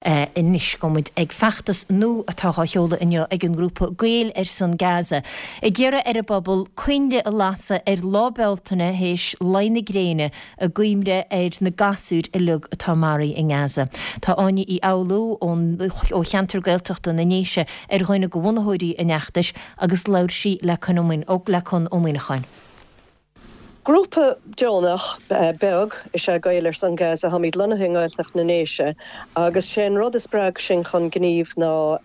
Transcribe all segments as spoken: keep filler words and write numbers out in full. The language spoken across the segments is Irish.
Anois gabhfaidh muid ag feachtas nua atá á sheoladh inniu ag an ngrúpa Gaeil ar son Gaza, ag iarraidh ar an bpobal coinnle a lasadh ar Lá Bealtaine théis luí na gréine i gcuimhne ar na gasúir uilig atá maraithe i nGaza. Tá Áine Uí Fhoghlú ón ó cheantar Gaeltachta na nDéise ar dhuine de bhunaitheoirí an fheachtais agus labhair sí le Con Ó Muíneacháin. Grúpa deonach beag is ea Gaeil ar son Gaza. Táimid lonnaithe i nGaeltacht na nDéise agus sé an rud a spreag sinn chun gnímh ná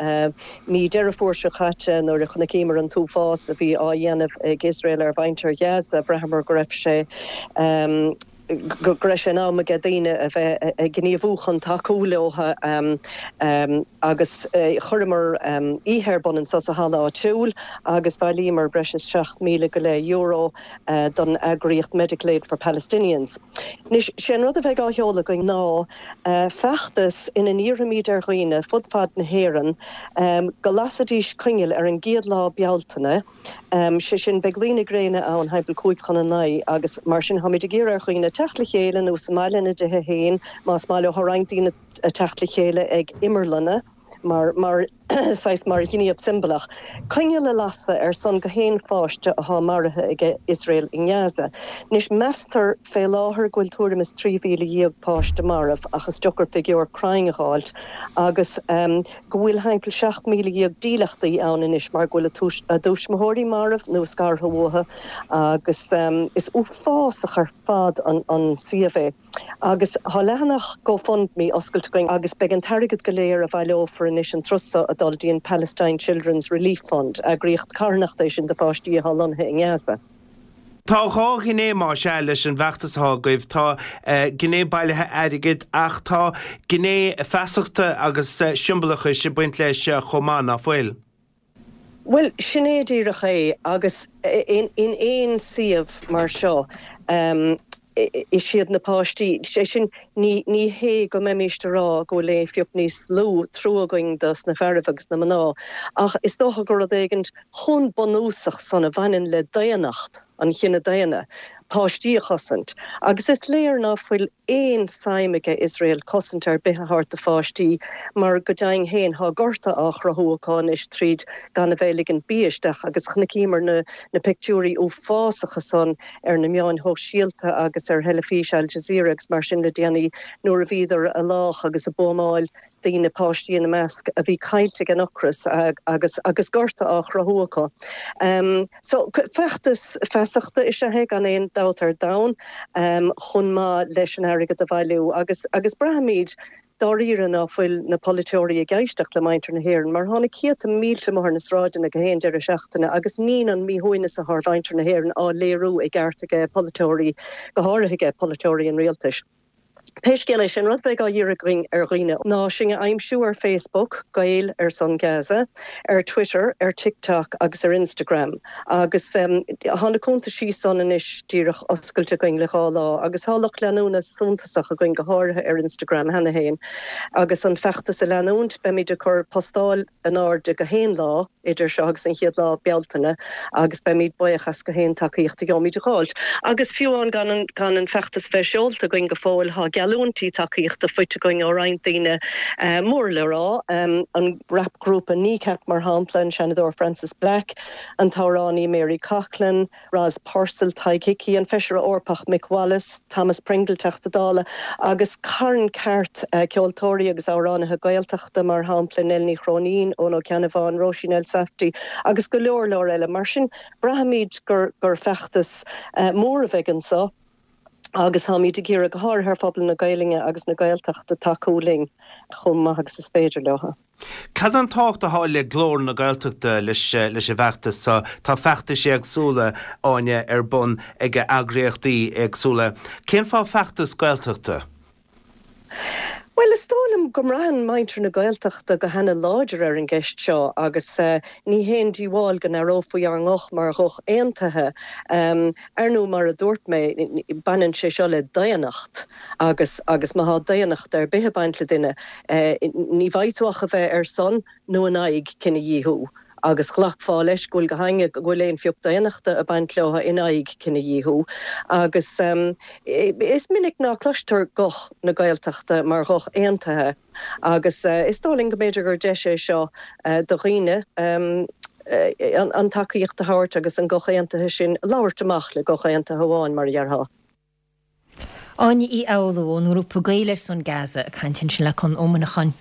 mí Deireadh Fómhair seo caite nuair a chonaiceamar an t-uafás a bhí á dhéanamh ag Iosrael ar mhuintir Ghaza. Bhraitheamar go raibh sé go raibh sé in am aige daoine a bheith ag gníomhú chun tacú leo agus chuireamar oíche ar bun anso sa halla áitiúil agus bhailíomar breis is seacht míle go leith euro don eagraíocht Medical Aid for Palestinians. Anois, sé an rud a bheidh á sheoladh againn ná feachtas ina n-iarrfaimid ar dhaoine fud fad na hÉireann go lasfaidís coinneal ar an gcéad lá Bealtaine, sé sin, beidh luí na gréine ann thimpeall cúig chun a naoi agus mar sin táimid ag iarraidh ar dhaoine teacht le chéile nó sa mbaile ina dtithe féin más maith leo. Tá roinnt daoine ag teacht le chéile ag imearlanna mar mar saghas mar ghníomh siombalach. Coinneal a lasadh ar son gach aon pháiste atá maraithe ag Iosrael i nGaza. Anois meastar fé láthair go bhfuil tuairim is trí mhíle dhéag páiste marbh ach is deacair figiúr cruinn a dh'fháilt agus go bhfuil thimpeall seacht míle dhéag dílleachtaí ann anois mar go bhfuil a dtuismitheoirí marbh nó scartha uathu agus is uafásach ar fad an suíomh é. Agus tá leathanach GoFundMe oscailte againn agus beidh an t-airgead go léir a bhaileofar anois an turas seo ag dul dtí an Palestine Children's Relief Fund, eagraíocht carthanachta é sin do pháistí atá lonnaithe i nGaza. Tá dhá ghné más ea leis an bhfeachtas atá agaibh, tá gné bailithe airgid ach tá gné feasachta agus siombalachais ag baint leis chomh maith, ná fuil? Bhuel, sin é díreach é agus in aon suíomh mar seo, is iad na páistí, sé sin, ní ní hé go mbeimíst a rá go bhfuil aon phioc níos lú trua againn dos na fearaibh agus na mná, ach is dócha gur rud éigint chomh bunúsach san a bhaineann le daonnacht an chine daonna, páistí a chosaint. Agus is léir ná fuil aon suim aige Iosrael cosaint ar bith a thabhairt do pháistí mar go deimhin féin tá gorta á chruthú acu anois tríd gan a bheith ag ligint bia isteach agus chonaiceamar na na pictiúirí uafásacha san ar na meáin shóisialta agus ar theilifís Al Jazeera agus mar sin le déanaí nuair a bhíodar a lách agus a buamáil daoine, páistí ina measc, a bhí caillte ag an ocras agus agus gorta á chruthú acu. So feachtas feasachta is ea é gan aon dabht ar domhan chomh maith leis an airgead a bhailiú agus agus braithimid dáiríre ná fuil na polaiteoirí ag éisteacht le muintir na hÉireann mar tá na céadta mílte amuigh ar na sráideanna gach aon deireadh seachtaine agus níl an míshuaimhneas atá ar mhuintir na hÉireann á léiriú i gceart ag polaiteoirí, go háirithe ag polaiteoirí an rialtais. Pé scéal é, sé an rud a bheidh á iarraidh againn ar dhaoine ná sinn a aimsiú ar Facebook, Gaeil ar son Gaza, ar Twitter, ar TikTok agus ar Instagram. Agus tá na cuntaisí san anois díreach oscailte againn le dhá lá agus tá lucht leanúna suntasach againn, go háirithe ar Instagram cheana féin. Agus an feachtas a leanúint, beimid ag cur postáil in airde gach aon lá idir seo agus an chéad lá Bealtaine agus beimid buíoch as gach aon tacaíocht a gheobhaimid a dh'fháilt. Agus fiú amháin gan an gan an feachtas bheith seolta againn go fóill, tá geallúintí tacaíochta faighte againn ó roinnt daoine mór le rá, an rapghrúpa Kneecap mar shampla, an Seanadóir Frances Black, an t-amhránaí Mary Coughlan, Ros Purcell, Tadhg Hickey, an Feisire Eorpach Mick Wallace, Thomas Pringle, Teachta Dála, agus carn ceart ceoltóirí agus amhránaithe Gaeltachta, mar shampla Nell Ní Chróinín, Eoin Ó Ceannabháin, Róisín Elsafty agus go leor leor eile. Mar sin, braithimid gur gur feachtas mór a bheidh anseo agus táimid ag iarraidh, go háirithe ar phobal na Gaelainne agus na Gaeltachta, tacú linn chomh maith agus is féidir leo. Cad an tábhacht atá le Glór na Gaeltachta leis leis an bhfeachtas seo? Tá feachtais éagsúla, Áine, ar bun ag eagraíochtaí éagsúla. Cén fáth feachtas Gaeltachta? Bhuel, is dóigh liom go mbraitheann muintir na Gaeltachta go hana-láidir ar an gceist seo agus ní haon díobháil go n-aireofaí ár nguth mar ghuth aontaithe. Ar ndóigh, mar a dúirt mé, baineann sé seo le daonnacht agus agus má thá daonnacht ar bith ag baint le duine, ní bheidh tú ach a bheith ar son nó in aghaidh cinedhíothú. Agus ghlacfá leis go bhfuil go hainge go bhfuil aon phioc daonnachta ag baint leo in aghaidh cinedhíothú. Agus is minic ná cloistear guth na Gaeltachta mar ghuth aontaithe. Agus is dóigh linn go mb'fhéidir gur deis é seo do dhaoine an tacaíocht a thabhairt agus an guth aontaithe sin labhairt amach le guth aontaithe amháin mar a déarfá. Áine Uí Fhoghlú ón ngrúpa Gaeil ar son Gaza ag caint ansin le Conn Ó Muineacháin.